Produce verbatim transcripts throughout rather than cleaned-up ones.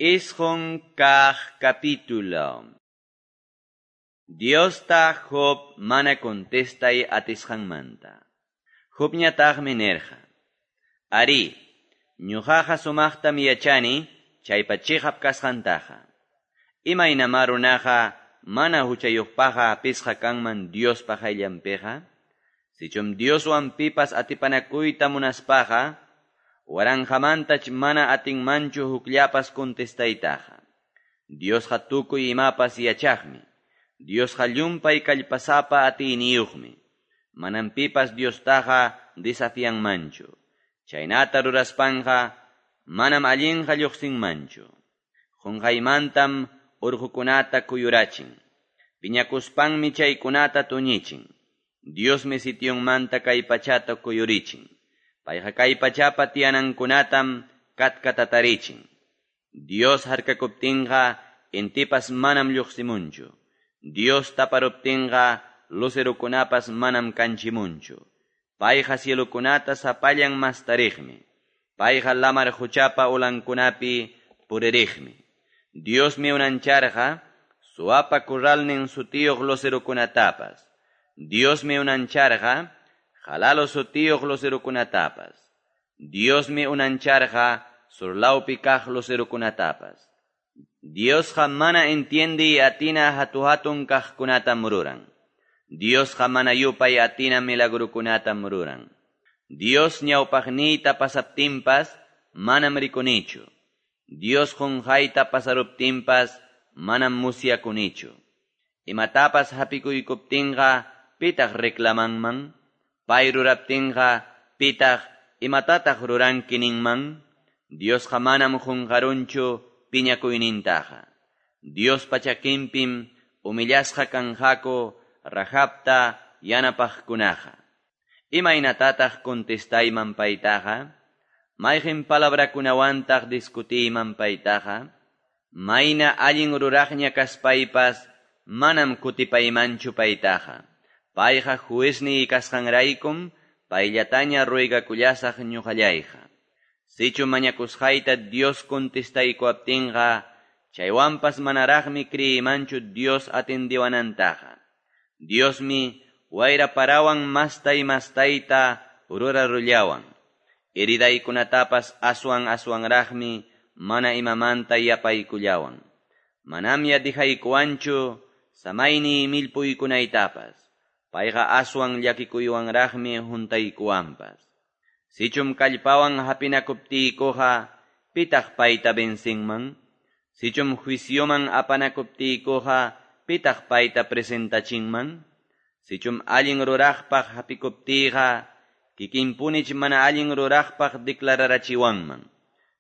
Isqun kaq capítulo. Diosta Job mana contestay atisqanmanta. Jobñataqmi nirqa: Ari, ñuqaqa sumaqtam yachani chaypa chiqap kasqantaqa. Imaynamá runaqa mana huchayuqpaqqa hapisqa kanman Diospa qayllanpiqa? Sichum Dioswan pipas atipanakuyta munaspaqa, waranqamantach mana atinmanchu hukllapas contestaytaqa. Diosqa tukuy imapas yachaqmi. Diosqa llumpay kallpasapa atiyniyuqmi. Manam pipas Diostaqa desafianmanchu. Chaynata ruraspanqa manam allinqa lluqsinmanchu. Qunqaymantam urqukunata kuyurachin. Piñakuspanmi chaykunata tuñichin. Diosmi sitionmanta kay pachata kuyurichin. Payqa kay pachapa tiyanankunatam katkatatarichin. Dios harkakuptinqa intipas manam lluqsimunchu. Dios taparuptinqa lucerukunapas manam kanchimunchu. Payqa cielukunata sapallan mastariqmi. Payqa lamar quchapa ulankunapi puririqmi. Diosmi unancharqa suapa kurralnin sutiyuq lucerukunatapas. Diosmi unancharqa jalalo sutiyuq lucerukunatapas. Diosmi unancharqa surlawpi kaq lucerukunatapas. Diosqa mana entiende atina hatu-hatun kaqkunatam ruran. Diosqa mana yupay atina milagrukunatam ruran. Dios ñawpaqniyta pasaptinpas manam rikunichu. Dios qunqayta pasaruptinpas manam musyakunichu. Imatapas hapikuykuptinqa pitaq reclamanman? Pay ruraptinqa pitaq imatataq ruranki ninman? Diosqa manam qunqarunchu piñakuynintaqa. Diospa chakinpim humillasqa kanqaku Rahabta yanapaqkunaqa. Imaynatataq contestayman paytaqa? Mayqin palabrakunawantaq discutiyman paytaqa? Mayna allin ruraqña kaspaypas manam kutipaymanchu paytaqa. Payqa juezniy kasqanraykum payllataña ruegakullasaq ñuqallayqa. Sichu mañakusqayta Dios contestaykuwaptinqa, chaywanpas manaraqmi criymanchu Dios atendiwanantaqa. Diosmi wayra parawan mastay mastayta rurarullawan. Heridaykunatapas aswan aswanraqmi mana imamanta yapaykullawan. Manamya dijaykuwanchu samayni millpuykunaytapas. Payqa aswan llakikuywanraqmi huntaykuwanpas. Sichum kallpawan hapinakuptiykuqa, pitaq payta vencinman? Sichum juicioman apanakuptiykuqa, pitaq payta presentachinman? Sichum allin ruraqpaq hapikuptiyqa, kikinpunich mana allin ruraqpaq declararachiwanman.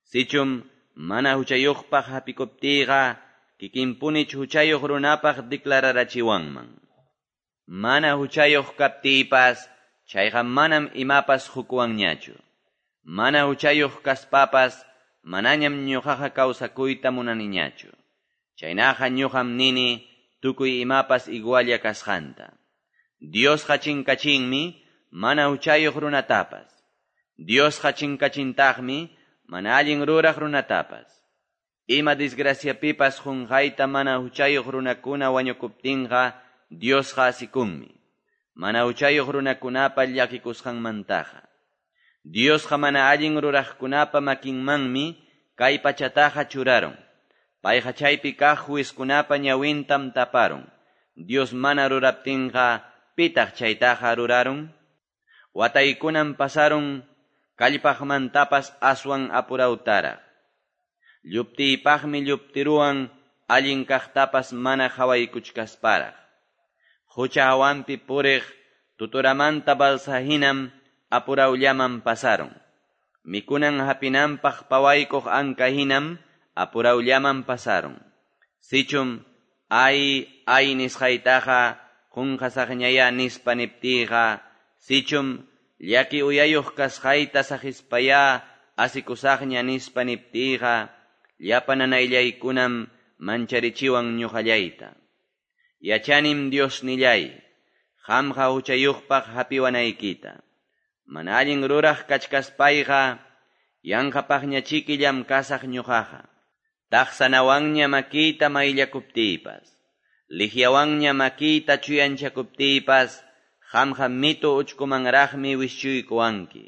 Sichum mana huchayuqpaq hapikuptiyqa, kikinpunich huchayuq runapaq declararachiwanman. Mana huchayuq kaptiypas, chayqa manam imapas hukuwanñachu. Mana huchayuq kaspapas, manañam ñuqaqa kawsakuyta munaniñachu. Chaynaqa ñuqam nini tukuy imapas igualla kasqanta. Diosqa chinkachinmi mana huchayuq runatapas. Diosqa chinkachintaqmi mana allin ruraq runatapas. Ima desgraciapipas qunqayta mana huchayuq runakuna wañukuptinqa, Diosqa asikunmi. Mana huchayuq runakunapa llakikusqanmantaqa. Diosqa mana allin ruraqkunapa makinmanmi kay pachataqa churarun. Payqa chaypi kaq juezkunapa ñawintam taparun. Dios mana ruraptinqa pitaq chaytaqa rurarun? Wataykunam pasarun kallpaqmantapas aswan apurawtaraq. Lluptiypaqmi lluptiruwan allin kaqtapas mana qhawaykuchkasparaq. Qucha hawanpi puriq tuturamanta balsahinam apurawllaman pasarun. Mikunan hapinanpaq pawaykuq ankahinam apurawllaman pasarun. Sichum ay ay nisqaytaqa qunqasaqñaya nispa niptiyqa, sichum llaki uyayuq kasqayta saqispaya asikusaqña nispa niptiyqa, llapa nanayllaykunam mancharichiwan ñuqallayta. Yachanim Diosnillay, qamqa huchayuqpaq hapiwanaykita. Mana allin ruraq kachkaspayqa, yanqapaqñachiki llamkasaq ñuqaqa. Taqsanawanña makiyta mayllakuptiypas, liqyawanña makiyta chuyanchakuptiypas, qamqa mitu uchkumanraqmi wischuykuwanki.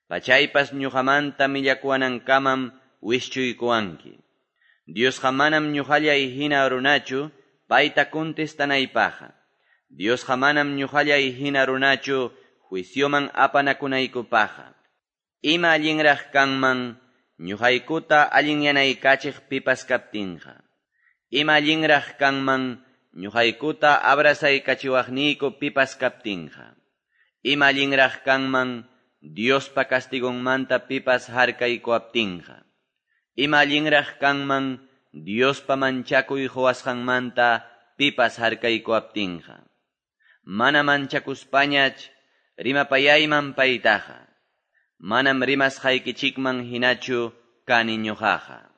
Pachaypas ñoqamanta millakuwanankamam wischuykuwanki. Diosqa manam ñoqallay hina runachu payta contestanaypaqqa. Diosqa manam ñoqallay hina runachu juicioman apanakunaykupaqqa. Ima allinraq kanman ñuqaykuta allinyanaykachiq pipas kaptinqa. Ima allinraq kanman ñuqaykuta abrazaykachiwaqniyku pipas kaptinqa. Ima allinraq kanman Diospa castigonmanta pipas harkaykuwaptinqa. Ima allinraq kanman Diospa manchakuy quwasqanmanta pipas harkaykuwaptinqa. Mana manchakuspañach rimapayayman paytaqa. Manam rimasqaykichikman hinachu kani ñuqaqa.